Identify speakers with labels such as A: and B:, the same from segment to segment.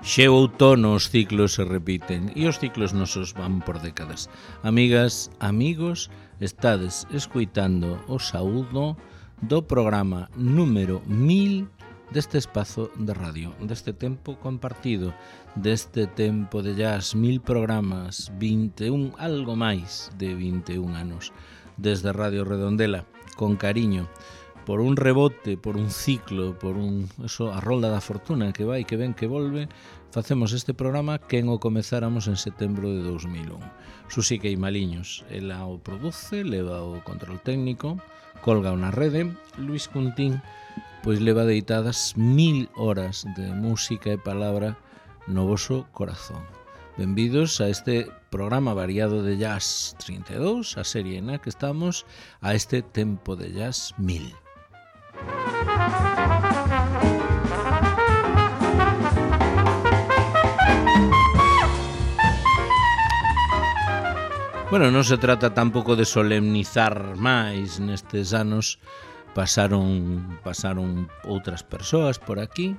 A: Xeo outono os ciclos se repiten e os ciclos nosos van por décadas. Amigas, amigos, estades escuitando o saúdo do programa número 1000 deste espazo de radio, deste tempo compartido, deste tempo de jazz, 1000 programas, 21, algo máis de 21 anos, desde Radio Redondela, con cariño, por un rebote, por un ciclo, por a rolda da fortuna que vai, que ven, que volve, facemos este programa que o comezáramos en setembro de 2001. Susi Queimaliños, ela o produce, leva o control técnico, colga na rede. Luis Cuntín, pois leva deitadas 1000 horas de música e palabra no voso corazón. Benvidos a este programa variado de Jazz 32, a serie na que estamos, a este tempo de Jazz 1000. Bueno, non se trata tampouco de solemnizar máis nestes anos. Pasaron outras persoas por aquí.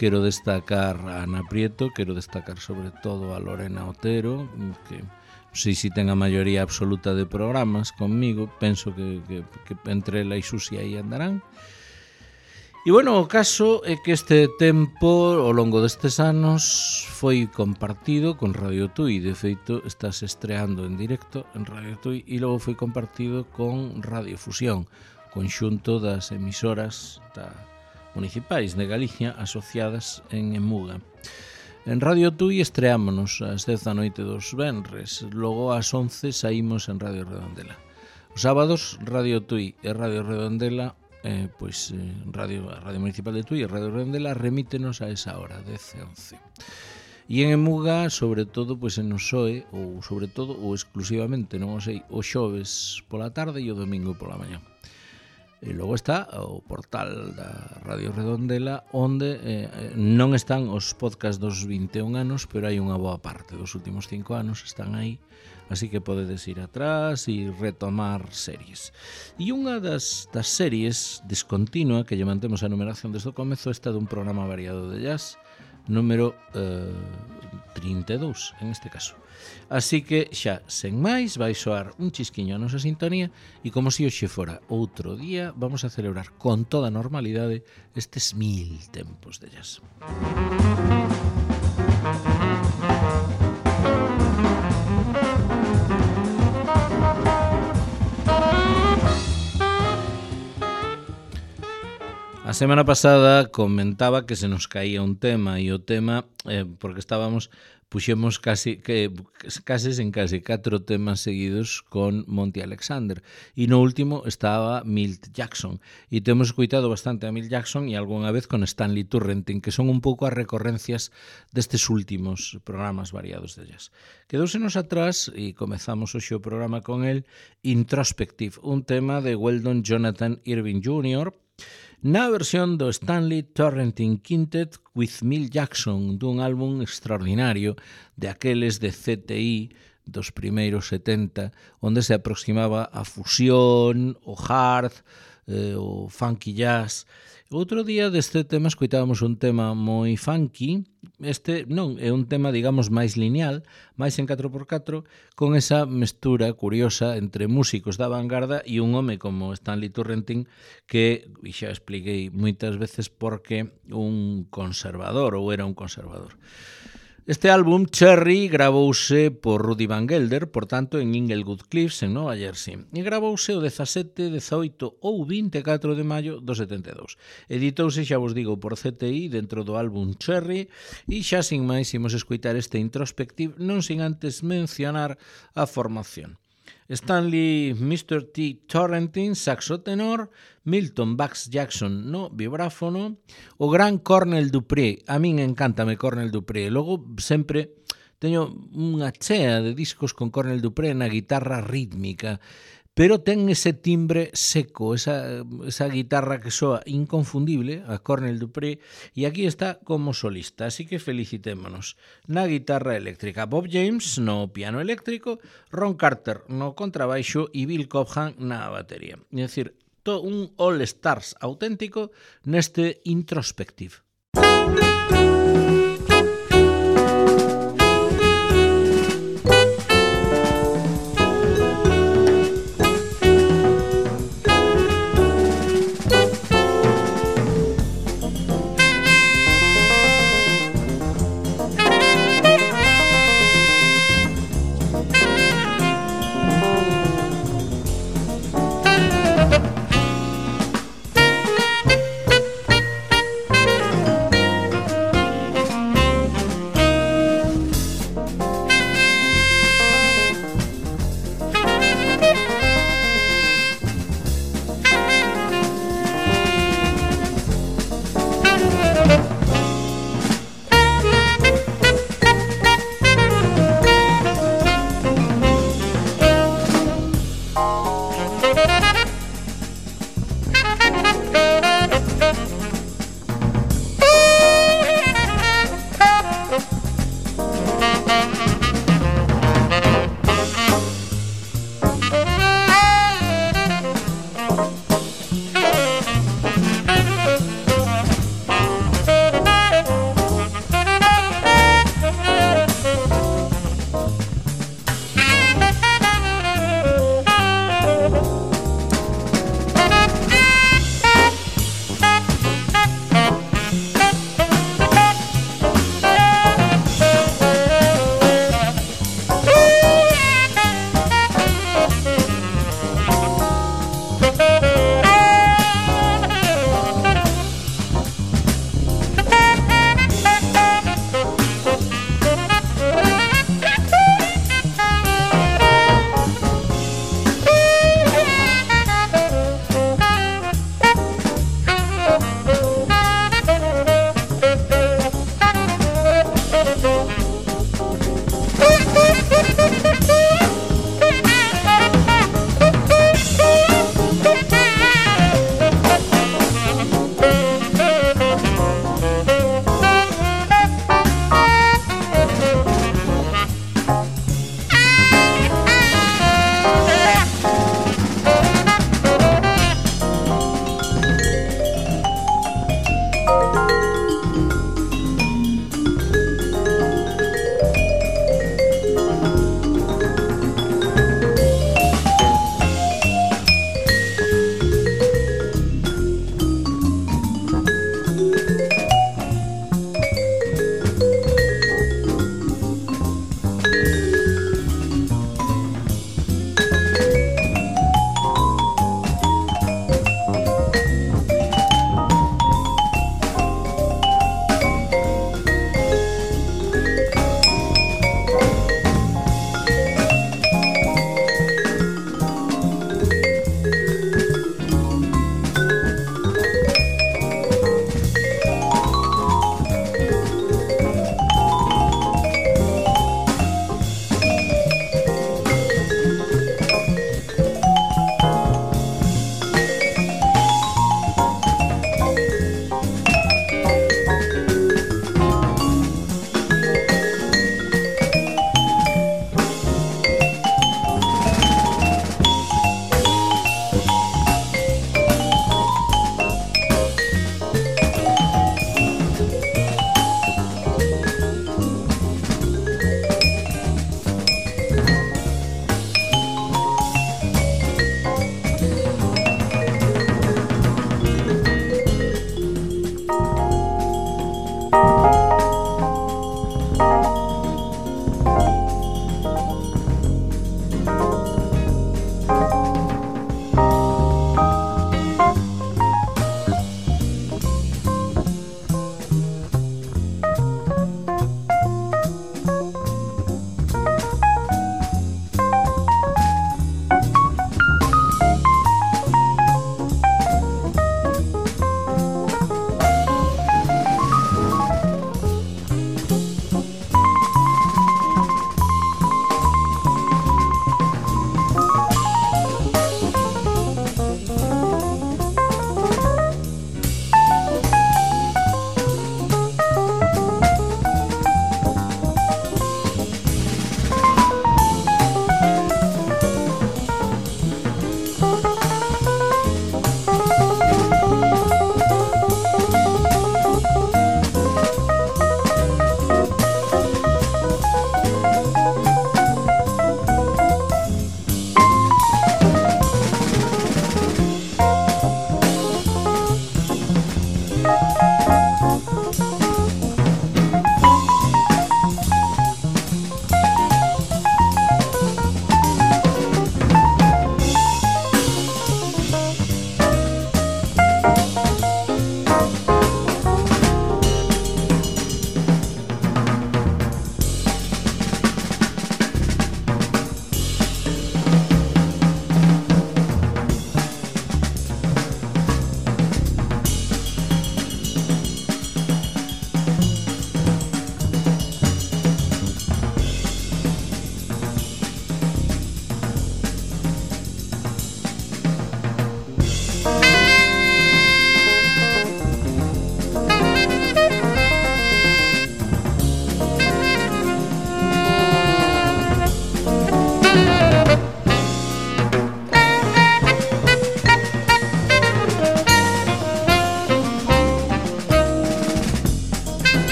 A: Quero destacar a Ana Prieto, quero destacar sobre todo a Lorena Otero, que non sei se ten a maioría absoluta de programas conmigo, penso que entre ela e Susi aí andarán. E bueno, o caso é que este tempo, ao longo destes anos, foi compartido con Radio Tui. De feito, estás estreando en directo en Radio Tui e logo foi compartido con Radio Fusión, conxunto das emisoras municipais de Galicia asociadas en Emuga. En Radio Tui estreámonos ás 10 da noite dos venres, logo ás 11 saímos en Radio Redondela. Os sábados, Radio Tui e Radio Redondela, Radio Municipal de Tui e Radio Redondela remítenos a esa hora, 10 e 11. E en Emuga, sobre todo, en o SOE, ou sobre todo, ou exclusivamente, non o sei, o xoves pola tarde e o domingo pola mañá. E logo está o portal da Radio Redondela, onde non están os podcast dos 21 anos, pero hai unha boa parte dos últimos 5 anos, están aí, así que podedes ir atrás e retomar series. E unha das series descontinua, que lle mantemos a numeración desde o comezo, está dun programa variado de jazz, número 32, en este caso. Así que xa, sen máis, vai soar un chisquiño a nosa sintonía e como se hoxe fora outro día, vamos a celebrar con toda normalidade estes 1000 tempos de jazz. A semana pasada comentaba que se nos caía un tema e o tema, porque puxemos case 4 temas seguidos con Monty Alexander e no último estaba Milt Jackson e temos escoitado bastante a Milt Jackson e algunha vez con Stanley Turrentine, que son un pouco as recorrencias destes últimos programas variados de jazz. Quedóusenos atrás e comezamos hoxe o programa con el Introspective, un tema de Weldon Jonathan Irving Jr., na versión do Stanley Turrentine Quintet with Milt Jackson, dun álbum extraordinario de aqueles de CTI dos primeiros 70, onde se aproximaba a fusión, o hard, o funky jazz. Outro día deste tema escoitábamos un tema moi funky. Este non é un tema, digamos, máis lineal, máis en 4x4, con esa mestura curiosa entre músicos da vanguarda e un home como Stanley Turrentine, que xa expliquei moitas veces porque un conservador, ou era un conservador. Este álbum, Cherry, gravouse por Rudy Van Gelder, por tanto, en Inglewood Cliffs, en Nova Jersey. E gravouse o 17, 18 ou 24 de maio do 72. Editouse, xa vos digo, por CTI dentro do álbum Cherry e xa sin máis imos escoitar este Introspective, non sin antes mencionar a formación. Stanley Mr. T. Turrentine, saxo tenor, Milton Bax Jackson no vibráfono, o gran Cornell Dupré. A min encántame Cornell Dupré. Logo sempre teño unha chea de discos con Cornell Dupré na guitarra rítmica, pero ten ese timbre seco, esa guitarra que soa inconfundible, a Cornell Dupré, e aquí está como solista, así que felicitémonos. Na guitarra eléctrica, Bob James no piano eléctrico, Ron Carter no contrabaixo e Bill Cobham na batería. É dicir, un all-stars auténtico neste Introspective.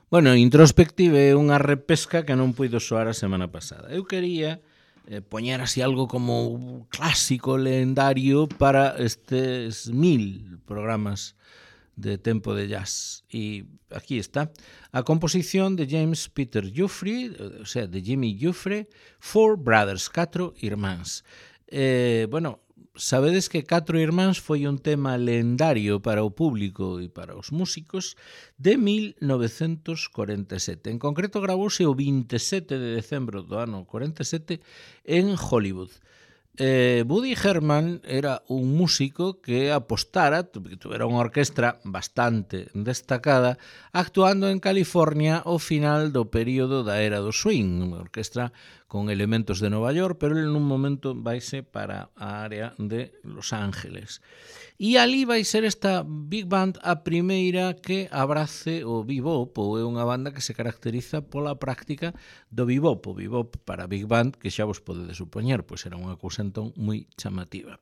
A: Bueno, Introspective é unha repesca que non puido soar a semana pasada. Eu quería poñer así algo como clásico, lendario para estes 1000 programas de tempo de jazz. E aquí está a composición de James Peter Giuffre, o sea, de Jimmy Giuffre, Four Brothers, 4 irmáns. Bueno, sabedes que 4 irmáns foi un tema lendario para o público e para os músicos de 1947. En concreto gravouse o 27 de decembro do ano 47 en Hollywood. Woody Herman era un músico que apostara, tuvera unha orquestra bastante destacada, actuando en California ao final do período da era do swing, unha orquestra con elementos de Nova York, pero en un momento vaise para a área de Los Ángeles. E ali vai ser esta Big Band a primeira que abrace o bebop, ou é unha banda que se caracteriza pola práctica do bebop. O bebop para Big Band, que xa vos podedes supoñer, pois era unha cousa entón moi chamativa.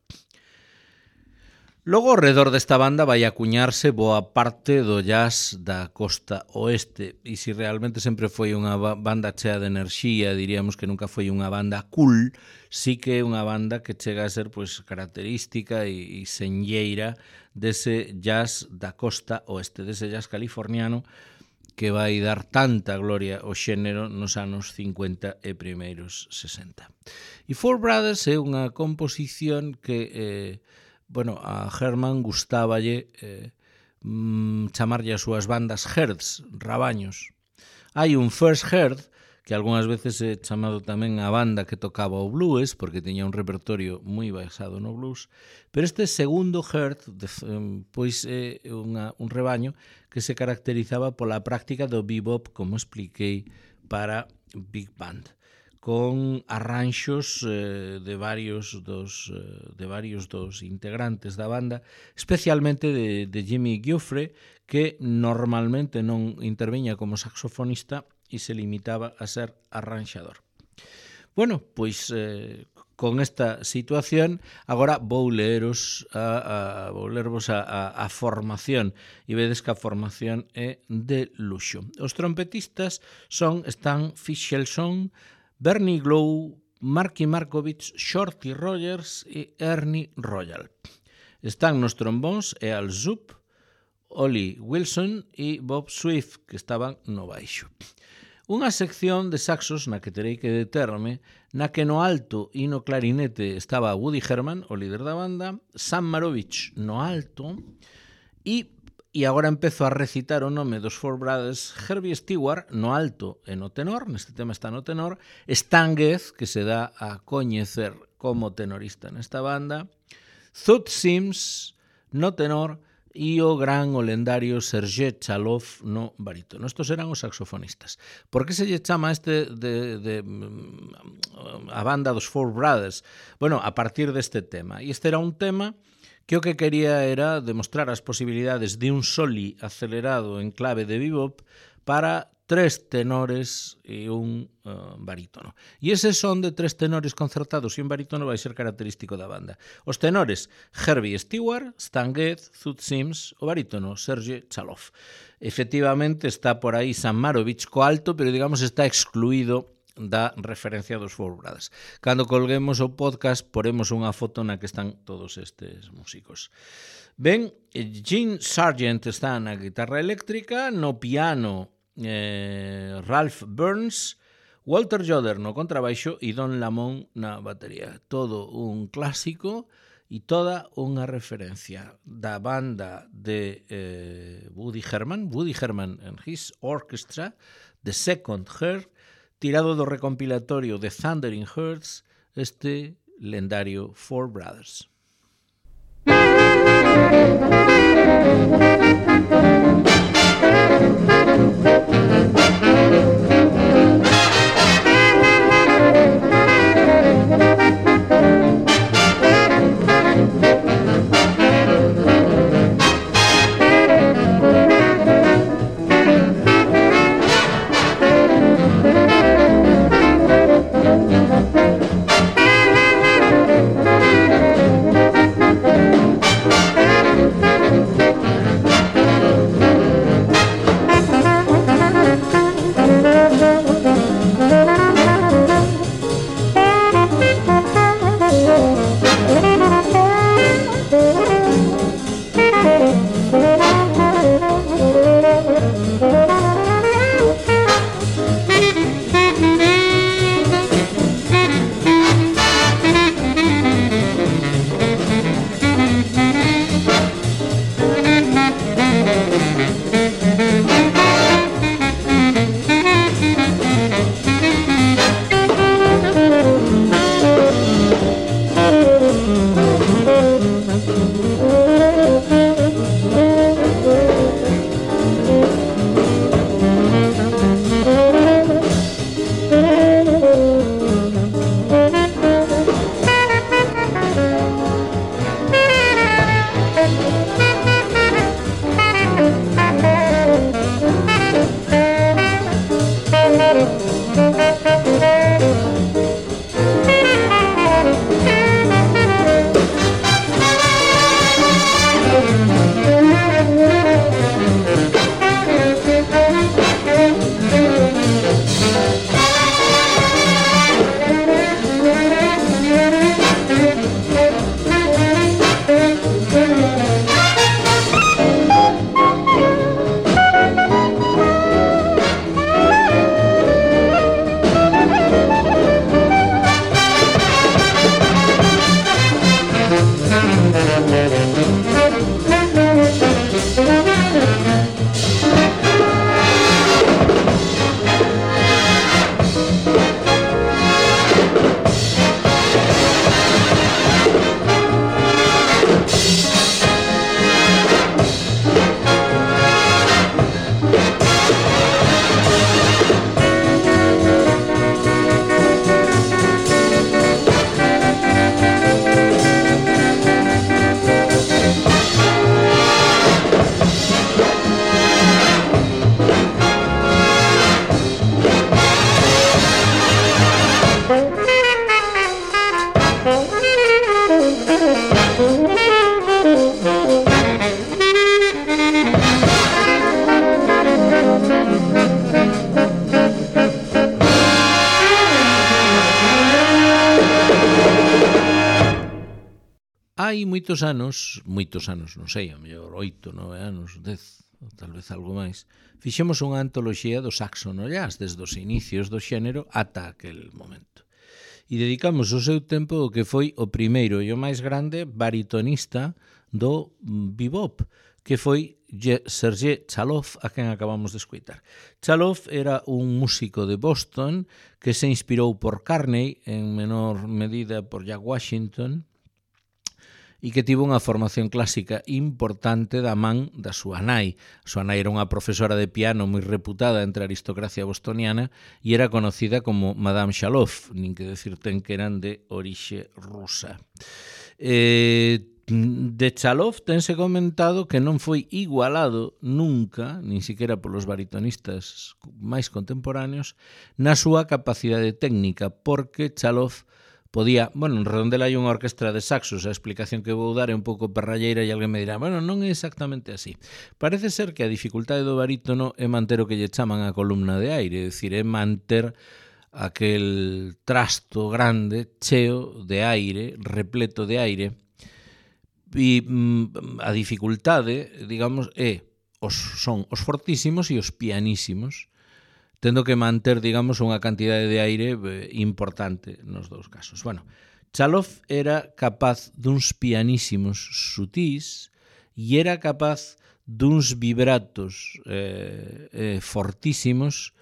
A: Logo, ao redor desta banda vai acuñarse boa parte do jazz da costa oeste, e se realmente sempre foi unha banda chea de enerxía, diríamos que nunca foi unha banda cool, sí que é unha banda que chega a ser pois característica e senlleira dese jazz da costa oeste, dese jazz californiano que vai dar tanta gloria ao xénero nos anos 50 e primeiros 60. E Four Brothers é unha composición que a Herman gustáballe chamarlle as súas bandas herds, rabaños. Hai un first herd, que algunhas veces é chamado tamén a banda que tocaba o blues, porque tiña un repertorio moi basado no blues, pero este segundo herd pois é un rebaño que se caracterizaba pola práctica do bebop, como expliquei, para Big Band, con arranxos de varios dos integrantes da banda, especialmente de Jimmy Giuffre, que normalmente non interviña como saxofonista e se limitaba a ser arranxador. Bueno, pois con esta situación agora vou lervos a formación, e vedes que a formación é de luxo. Os trompetistas son Stan Fischelson, Bernie Glow, Marky Markovich, Shorty Rogers e Ernie Royal. Están nos trombóns e Al Zup, Ollie Wilson e Bob Swift, que estaban no baixo. Unha sección de saxos na que terei que determe, na que no alto e no clarinete estaba Woody Herman, o líder da banda, Sam Marovich no alto, e agora empezo a recitar o nome dos Four Brothers: Herbie Stewart no alto e no tenor, neste tema está no tenor, Stan Getz, que se dá a coñecer como tenorista nesta banda, Toots Sims no tenor e o gran, o lendario Sergei Chalov no barítono. Estos eran os saxofonistas. Por que se lle chama a banda dos Four Brothers? Bueno, a partir deste tema. E este era un tema que o que quería era demostrar as posibilidades de un soli acelerado en clave de bebop para 3 tenores e un barítono. E ese son de 3 tenores concertados e un barítono vai ser característico da banda. Os tenores: Herbie Stewart, Stan Getz, Toots Sims, o barítono Sergei Chalov. Efectivamente está por aí Sam Marovich co alto, pero digamos está excluído da referencia dos Four Brothers. Cando colguemos o podcast poremos unha foto na que están todos estes músicos. Ben, Gene Sargent está na guitarra eléctrica, no piano Ralph Burns, Walter Joder no contrabaixo e Don Lamont na batería. Todo un clásico e toda unha referencia da banda de Woody Herman and his orchestra, The Second Herd, tirado do recompilatorio de Thundering Herds, este lendario Four Brothers. hai moitos anos, non sei, a mellor 8, 9 anos, 10, tal vez algo máis, fixemos unha antoloxía do saxo no jazz, desde os inicios do xénero ata aquel momento. E dedicamos o seu tempo ao que foi o primeiro e o máis grande baritonista do bebop, que foi Sergei Chaloff, a quen acabamos de escoitar. Chaloff era un músico de Boston que se inspirou por Carney, en menor medida por Jack Washington, e que tivo unha formación clásica importante da man da súa nai. A súa nai era unha profesora de piano moi reputada entre a aristocracia bostoniana e era conocida como Madame Chaloff, nin que decir ten que eran de orixe rusa. De Chaloff tense comentado que non foi igualado nunca, nin siquiera polos baritonistas máis contemporáneos, na súa capacidade técnica, porque Chaloff podía, en Redondela hai unha orquestra de saxos, a explicación que vou dar é un pouco perralleira e alguén me dirá, non é exactamente así. Parece ser que a dificultade do barítono é manter o que lle chaman a columna de aire, é dicir, é manter aquel trasto grande, cheo de aire, repleto de aire, e a dificultade, digamos, son os fortísimos e os pianísimos, tendo que manter, digamos, unha cantidade de aire importante nos dous casos. Chaloff era capaz duns pianísimos sutís e era capaz duns vibratos fortísimos,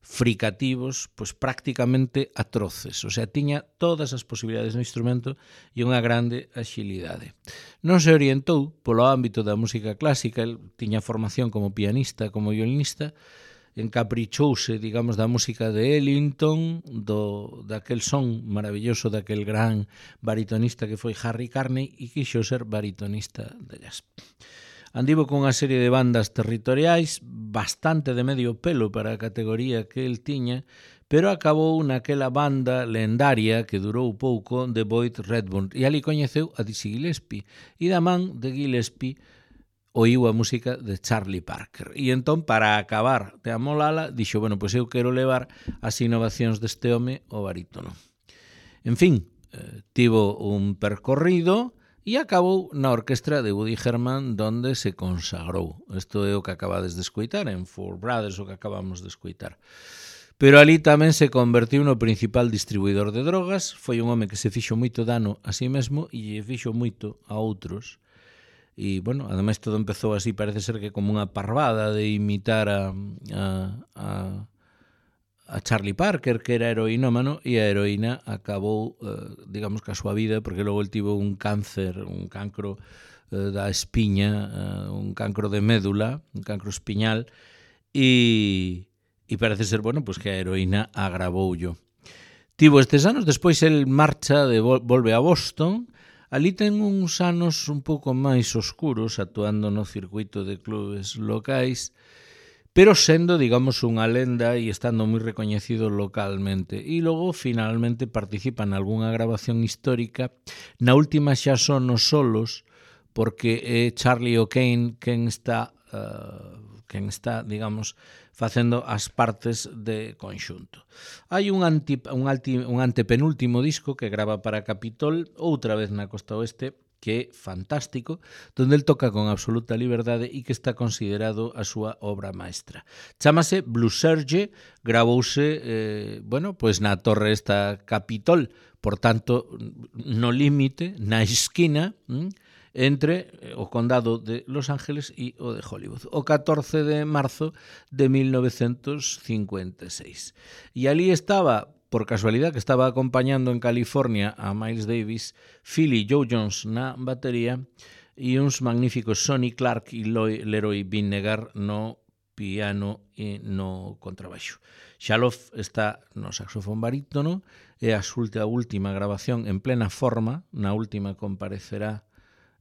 A: fricativos, pois prácticamente atroces. O sea, tiña todas as posibilidades no instrumento e unha grande axilidade. Non se orientou polo ámbito da música clásica, el tiña formación como pianista, como violinista, encaprichouse, digamos, da música de Ellington, daquel son maravilloso daquel gran baritonista que foi Harry Carney e quixo ser baritonista de jazz. Andivo con unha serie de bandas territoriais bastante de medio pelo para a categoría que el tiña, pero acabou naquela banda lendaria que durou pouco de Boyd Redburn e ali coñeceu a Dizzy Gillespie e da man de Gillespie oíu a música de Charlie Parker. E entón, para acabar de amolala, dixo, pois eu quero levar as innovacións deste home ao barítono. En fin, tivo un percorrido e acabou na orquestra de Woody Herman, donde se consagrou. Isto é o que acabades de escoitar, en Four Brothers, o que acabamos de escoitar. Pero ali tamén se convertiu no principal distribuidor de drogas, foi un home que se fixo moito dano a si mesmo e lle fixo moito a outros. E, ademais todo empezou así, parece ser que como unha parvada de imitar a Charlie Parker, que era heroinómano, e a heroína acabou, digamos, que a súa vida, porque logo el tivo un cáncer, un cancro da espiña, un cancro de médula, un cancro espiñal, e parece ser, pois que a heroína agravoulle. Tivo estes anos, despois el marcha, volve a Boston. Ali ten uns anos un pouco máis oscuros, actuando no circuito de clubes locais, pero sendo, digamos, unha lenda e estando moi recoñecido localmente. E logo, finalmente, participa en algunha grabación histórica. Na última xa son os solos, porque é Charlie O'Kane quen está, digamos, facendo as partes de conxunto. Hai un antepenúltimo disco que grava para Capitol, outra vez na Costa Oeste, que é fantástico, donde el toca con absoluta liberdade e que está considerado a súa obra maestra. Chámase Blue Serge, gravouse, pois na torre esta Capitol, por tanto, no límite, na esquina, entre o condado de Los Ángeles e o de Hollywood, o 14 de marzo de 1956. E ali estaba, por casualidade, que estaba acompañando en California a Miles Davis, Philly Joe Jones na batería e uns magníficos Sonny Clark e Leroy Vinnegar no piano e no contrabaixo. Chaloff está no saxofón barítono e a última grabación en plena forma, na última comparecerá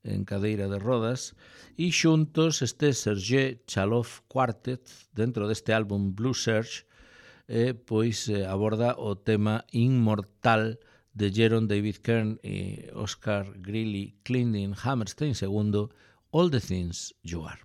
A: en cadeira de rodas, e xuntos este Sergei Chaloff Quartet, dentro deste álbum Blue Serge, pois aborda o tema inmortal de Jerome David Kern e Oscar Greeley Clinton Hammerstein, segundo All the Things You Are.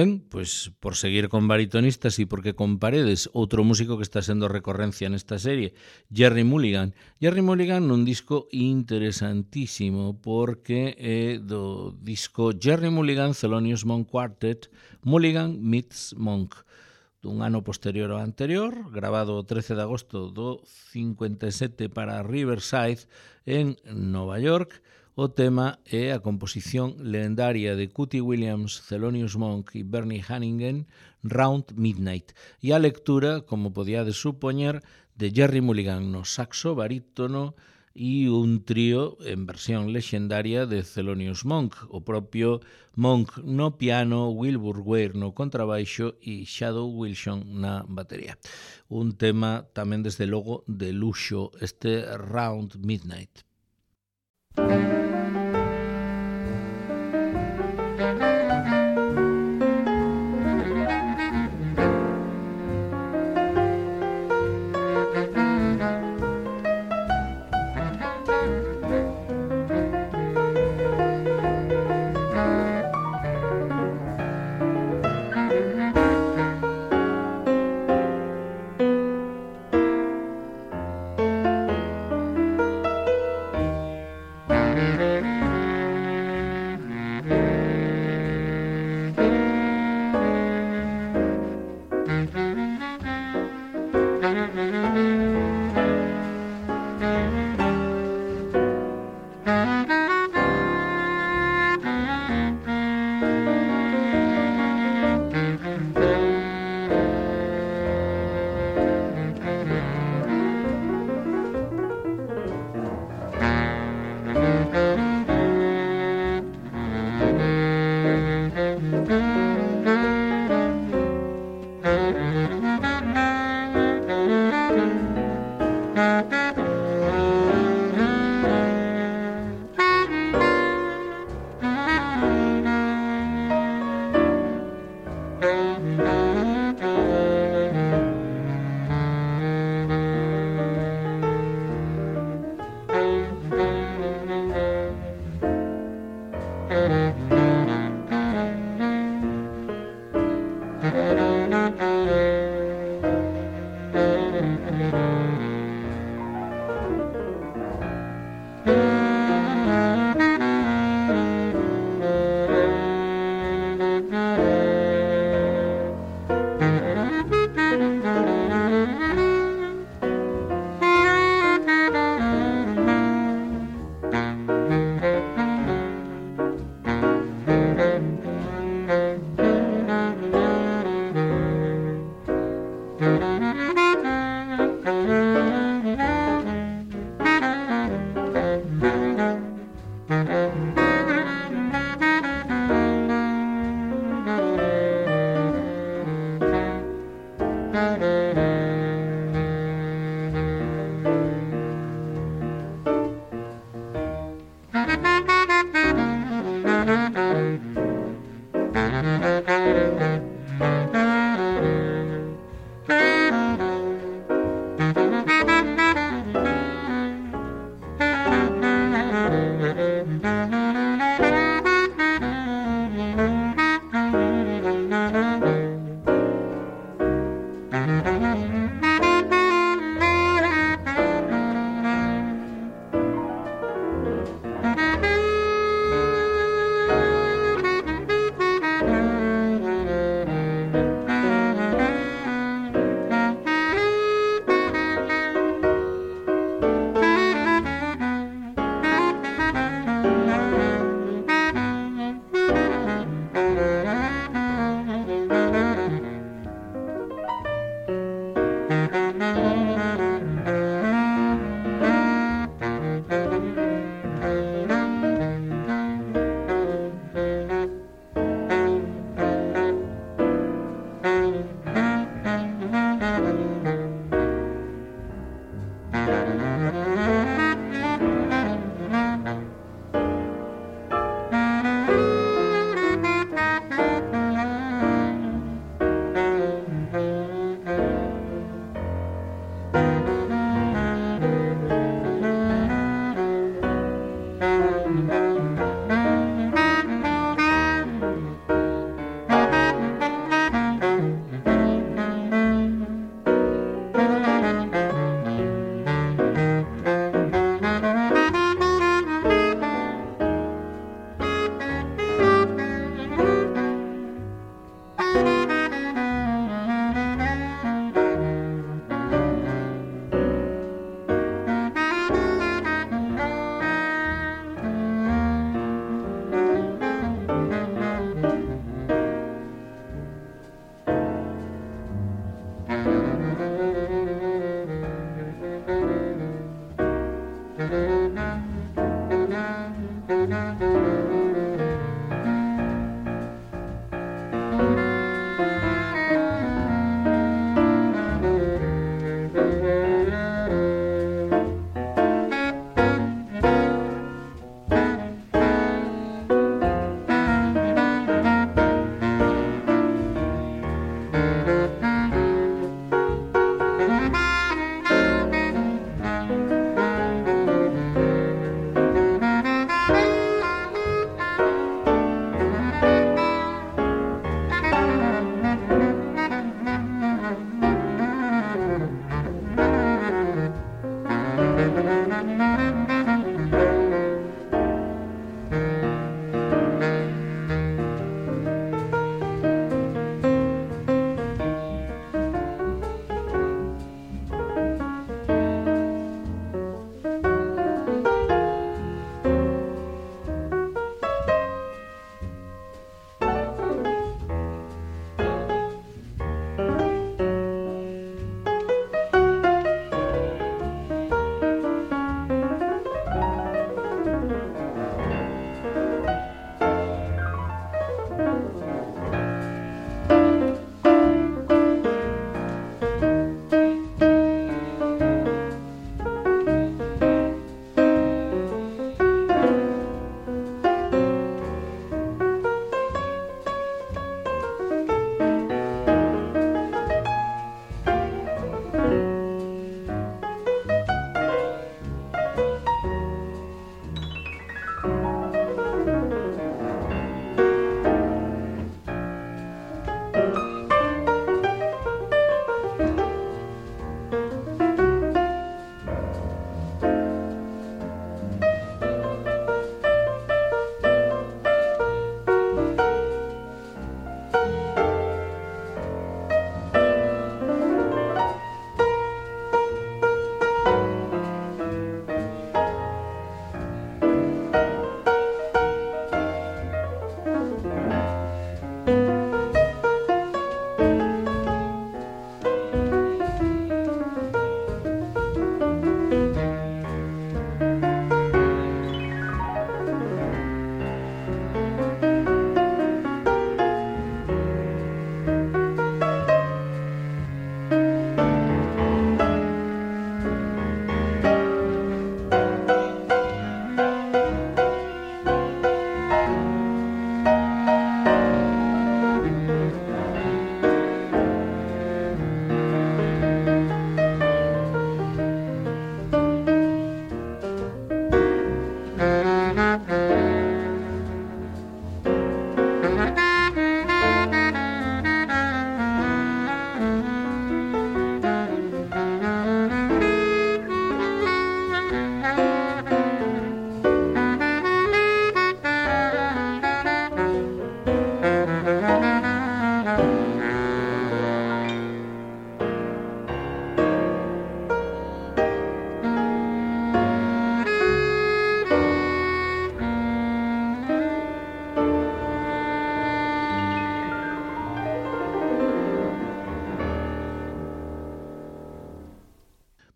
A: Ben, pois por seguir con baritonistas e porque con Paredes, outro músico que está sendo recorrencia nesta serie, Gerry Mulligan. Gerry Mulligan nun disco interesantísimo porque é do disco Gerry Mulligan Thelonious Monk Quartet, Mulligan meets Monk, dun ano posterior ao anterior, grabado o 13 de agosto do 57 para Riverside en Nova York. O tema é a composición lendaria de Cootie Williams, Thelonious Monk e Bernie Hannigan, Round Midnight, e a lectura, como podíades supoñer, de Gerry Mulligan no saxo barítono e un trío en versión lexendaria de Thelonious Monk, o propio Monk no piano, Wilbur Weir no contrabaixo e Shadow Wilson na batería. Un tema tamén desde logo de luxo, este Round Midnight.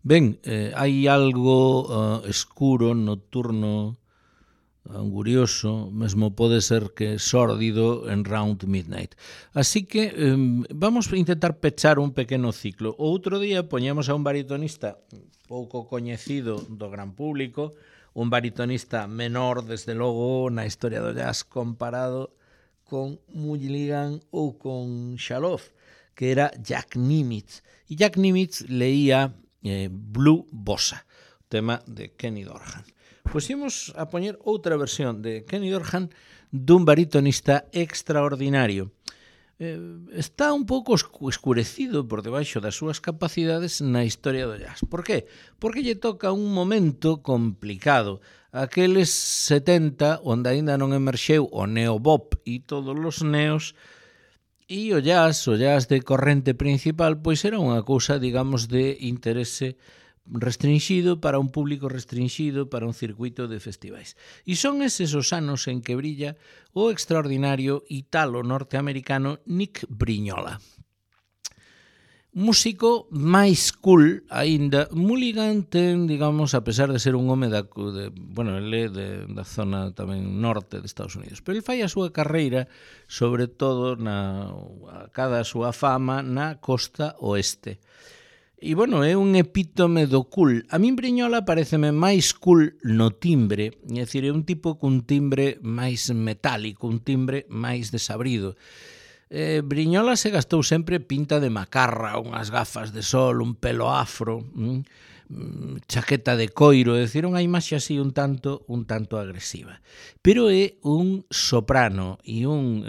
A: Ben, hai algo escuro, nocturno, angurioso, mesmo pode ser que sórdido en Round Midnight. Así que vamos a intentar pechar un pequeno ciclo. O outro día poñemos a un baritonista pouco coñecido do gran público, un baritonista menor, desde logo, na historia do jazz comparado con Mulligan ou con Shalhoub, que era Jack Nimitz. E Jack Nimitz leía Blue Bossa, tema de Kenny Dorham. Pois imos a poñer outra versión de Kenny Dorham dun baritonista extraordinario. Está un pouco escurecido por debaixo das súas capacidades na historia do jazz. Por qué? Porque lle toca un momento complicado. Aqueles 70 onde aínda non emerxeu o neobop e todos os neos, e o jazz de corrente principal, pois era unha cousa, digamos, de interese restringido para un público restringido, para un circuito de festivais. E son eses os anos en que brilla o extraordinario italo-norteamericano Nick Brignola. Músico máis cool aínda. Mulligan ten, digamos, a pesar de ser un home ele da zona tamén norte de Estados Unidos, pero ele fai a súa carreira sobre todo cada a súa fama na costa oeste. E, é un epítome do cool. A min Brignola pareceme máis cool no timbre, é dicir, é un tipo cun timbre máis metálico, un timbre máis desabrido. Brignola se gastou sempre pinta de macarra, unhas gafas de sol, un pelo afro, chaqueta de coiro, é dicir, unha imaxe así un tanto agresiva. Pero é un soprano e un,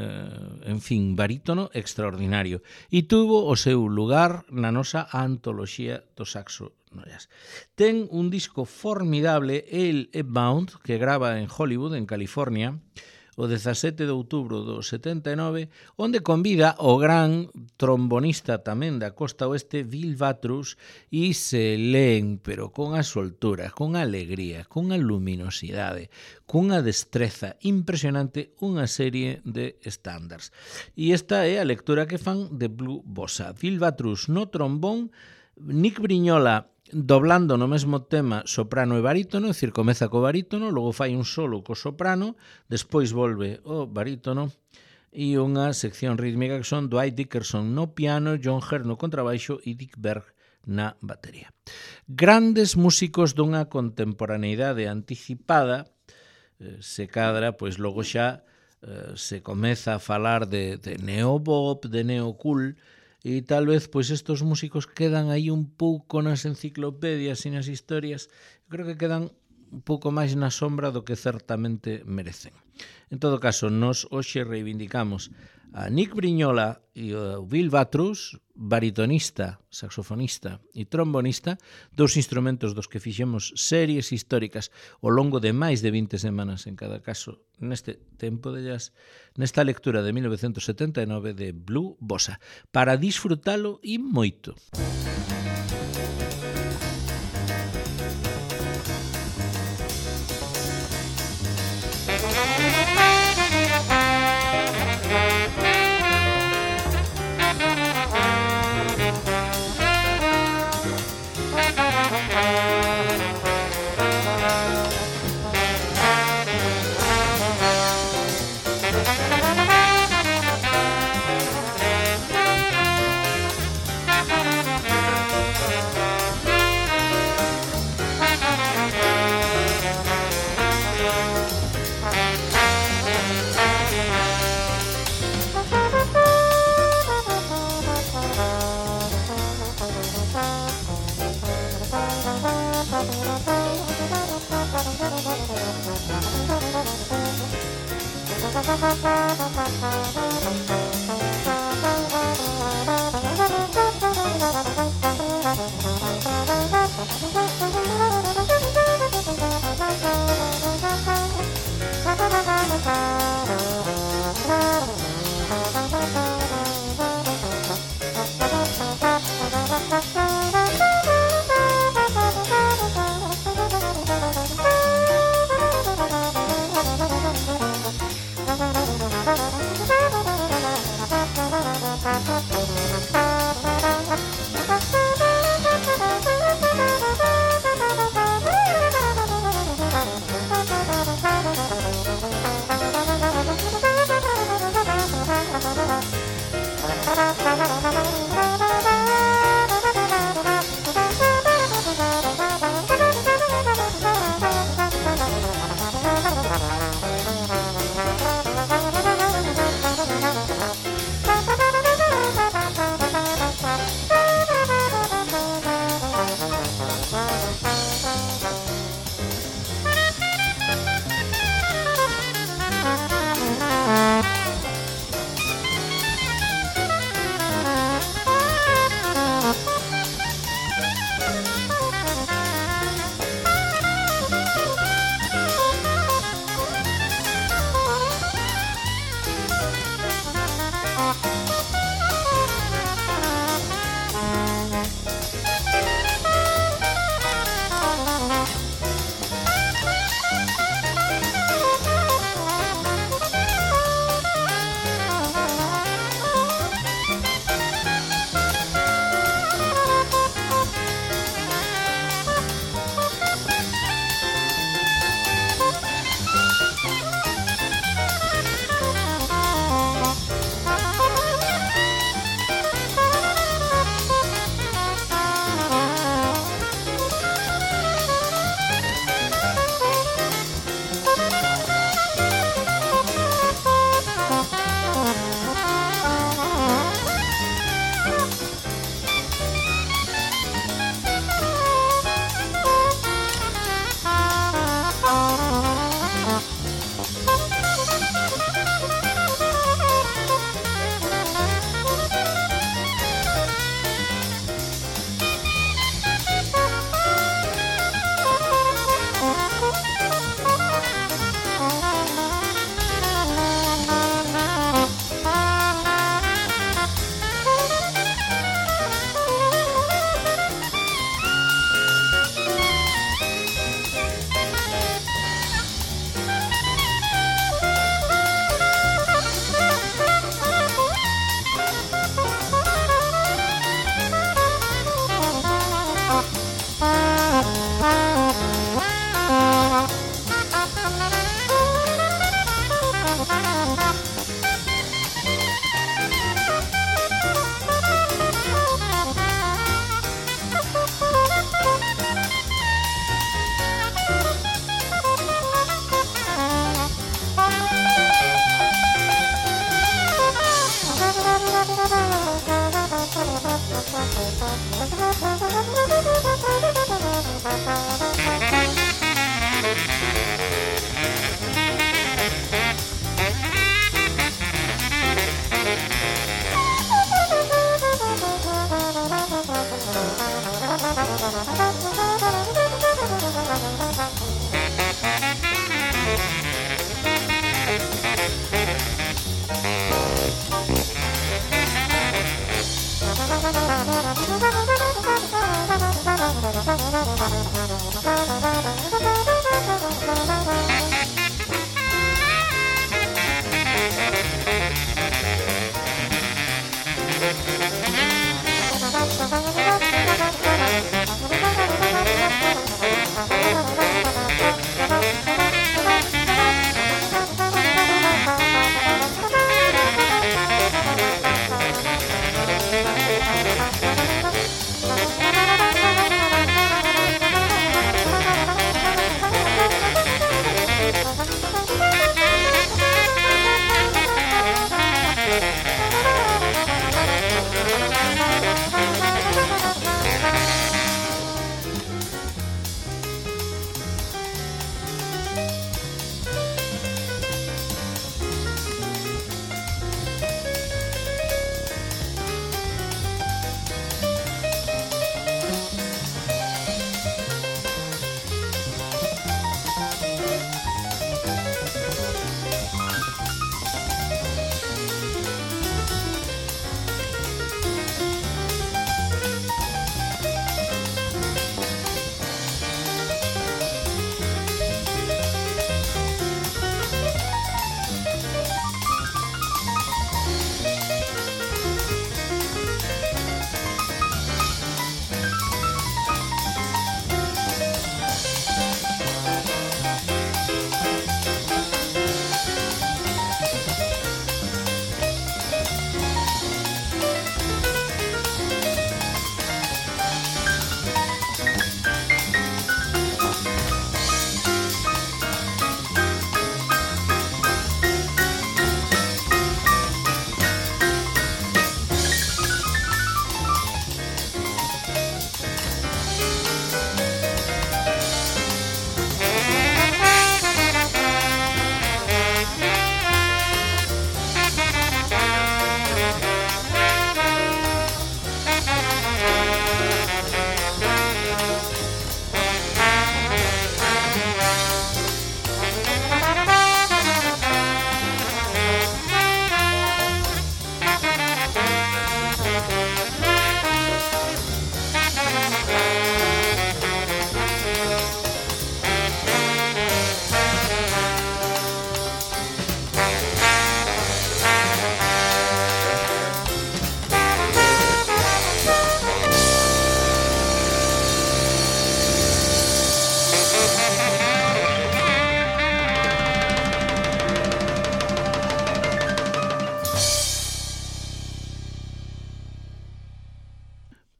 A: barítono extraordinario. E tuvo o seu lugar na nosa antoloxía do saxo no jazz. Ten un disco formidable, el Bound, que grava en Hollywood, en California, o 17 de outubro do 79, onde convida o gran trombonista tamén da costa oeste, Bill Watrous, e se leen, pero con a soltura, con a alegría, con a luminosidade, cunha destreza impresionante, unha serie de estándares. E esta é a lectura que fan de Blue Bossa. Bill Watrous no trombón, Nick Brignola doblando no mesmo tema soprano e barítono, é dicir, comeza co barítono, logo fai un solo co soprano, despois volve o barítono e unha sección rítmica que son Dwight Dickerson no piano, John Hurt no contrabaixo e Dick Berg na batería. Grandes músicos dunha contemporaneidade anticipada, se cadra, pois logo xa se comeza a falar de neobop, de neocool, e tal vez pois estos músicos quedan aí un pouco nas enciclopedias e nas historias, creo que quedan un pouco máis na sombra do que certamente merecen. En todo caso, nos hoxe reivindicamos a Nick Brignola e o Bill Watrous, baritonista, saxofonista e trombonista, dous instrumentos dos que fixemos series históricas ao longo de máis de 20 semanas en cada caso neste tempo de jazz, nesta lectura de 1979 de Blue Bossa, para disfrutalo e moito.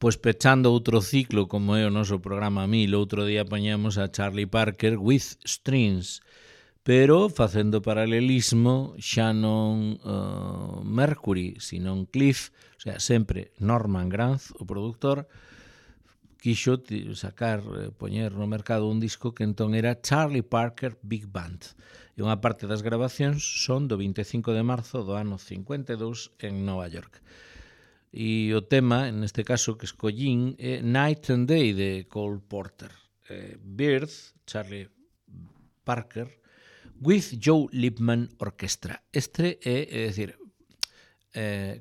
A: Pois pechando outro ciclo, como é o noso programa 1000, outro día poñemos a Charlie Parker with Strings, pero facendo paralelismo xa non Mercury, sino Cliff, o sea, sempre Norman Granz, o produtor, quixo sacar, poñer no mercado un disco que entón era Charlie Parker Big Band. E unha parte das grabacións son do 25 de marzo do ano 52 en Nova York. E o tema, neste caso, que escollín é Night and Day de Cole Porter. Birth, Charlie Parker, with Joe Liebman Orchestra. Este é dicir,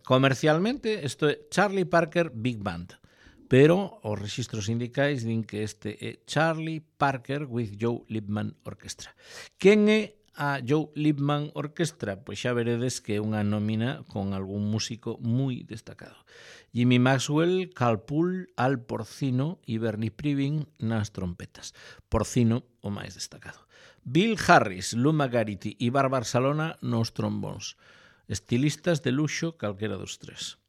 A: comercialmente, isto é Charlie Parker Big Band, pero os registros sindicais din que este é Charlie Parker with Joe Liebman Orchestra. Quen é a Joe Liebman Orchestra? Pois xa veredes que é unha nómina con algún músico moi destacado. Jimmy Maxwell, Carl Poole, Al Porcino e Bernie Privin nas trompetas. Porcino, o máis destacado. Bill Harris, Lou McGarity e Barbara Salona nos trombóns. Estilistas de luxo calquera dos tres.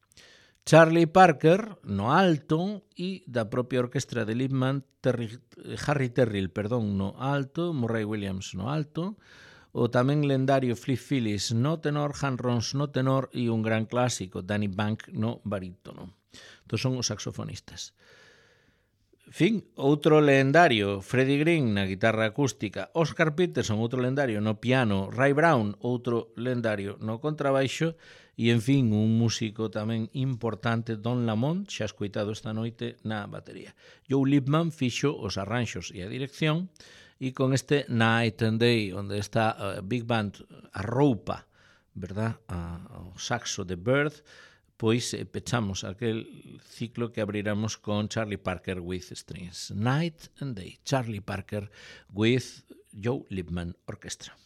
A: Charlie Parker no alto e da propia orquestra de Liebman, Harry Terrill, no alto, Murray Williams no alto, o tamén lendario Flip Phillips no tenor, Han Rons no tenor e un gran clásico, Danny Bank no barítono. Estos son os saxofonistas. Fin, outro lendario, Freddie Green na guitarra acústica, Oscar Peterson, outro lendario no piano, Ray Brown, outro lendario no contrabaixo e, en fin, un músico tamén importante, Don Lamont, xa escoitado esta noite na batería. Joe Liebman fixo os arranxos e a dirección e con este Night and Day, onde está a Big Band, a roupa, verdad, o saxo de Bird, pois pechamos aquel ciclo que abriramos con Charlie Parker with Strings. Night and Day, Charlie Parker with Joe Liebman Orchestra.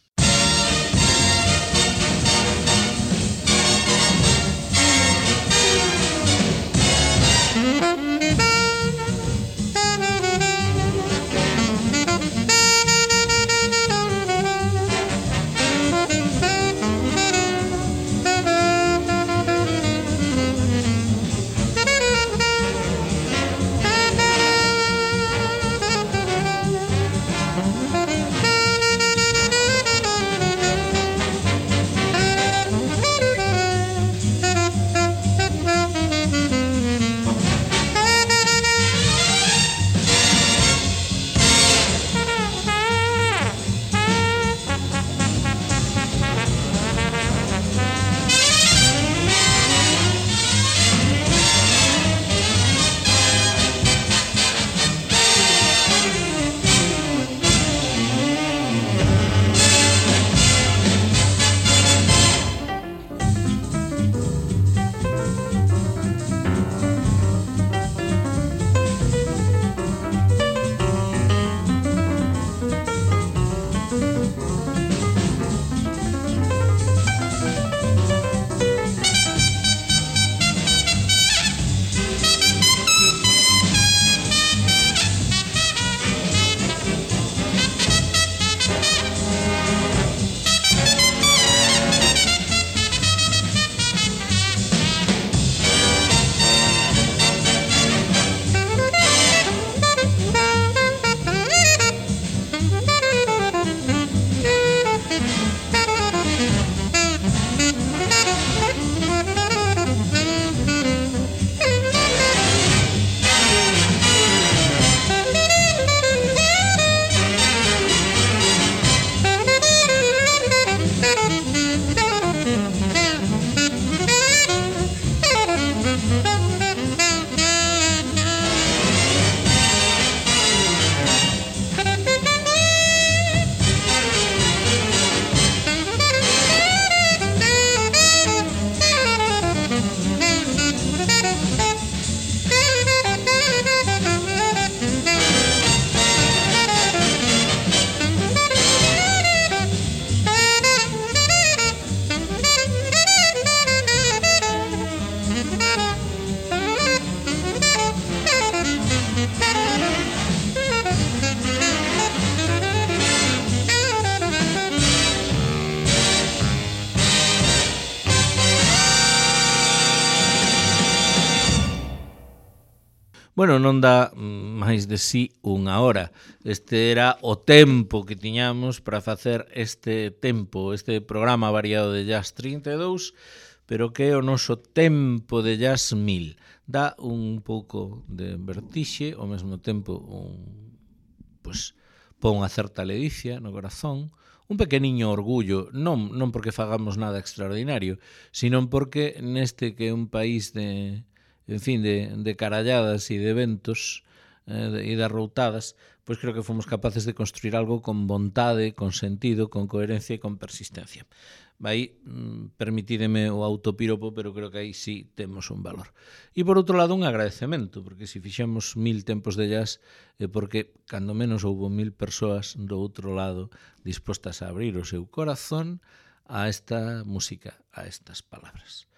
A: Bueno, non dá máis de sí unha hora. Este era o tempo que tiñamos para facer este programa variado de Jazz 32, pero que é o noso tempo de Jazz 1000. Dá un pouco de vertixe, ao mesmo tempo pon unha certa ledicia no corazón, un pequeniño orgullo, non porque fagamos nada extraordinario, sino porque neste que é un país de caralladas e de eventos e de arroutadas, pois creo que fomos capaces de construir algo con vontade, con sentido, con coherencia e con persistencia. Aí permitídeme o autopiropo, pero creo que aí sí temos un valor. E por outro lado un agradecemento, porque se fixemos 1000 tempos de jazz é porque cando menos houbo 1000 persoas do outro lado dispostas a abrir o seu corazón a esta música, a estas palabras.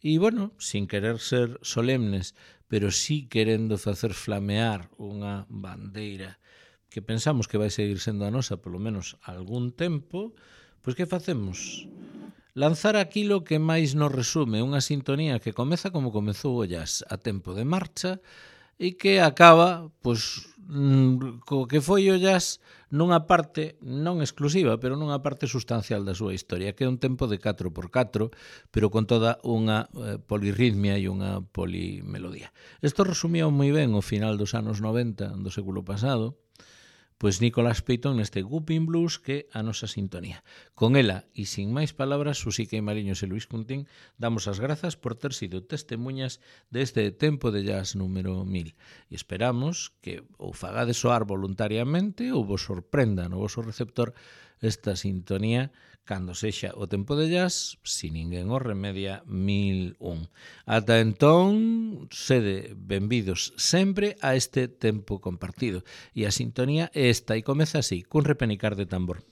A: E, bueno, sin querer ser solemnes, pero sí querendo facer flamear unha bandeira que pensamos que vai seguir sendo a nosa polo menos algún tempo, pois que facemos? Lanzar aquilo que máis nos resume, unha sintonía que comeza como comezou o jazz, a tempo de marcha, e que acaba, pois, co que foi o jazz nunha parte, non exclusiva, pero nunha parte sustancial da súa historia, que é un tempo de 4x4, pero con toda unha polirritmia e unha polimelodía. Isto resumía moi ben o final dos anos 90 do século pasado, pois Nicolás Peyton neste Whooping Blues, que é a nosa sintonía. Con ela, e sin máis palabras, Susica e Mariños e Luis Cuntín, damos as grazas por ter sido testemunhas deste tempo de jazz número 1000. E esperamos que ou fagades soar voluntariamente ou vos sorprenda no voso receptor esta sintonía cando sexa o tempo de jazz, si ninguén os remedia, 1001. Ata entón, sede benvidos sempre a este tempo compartido. E a sintonía é esta, e comeza así, cun repenicar de tambor.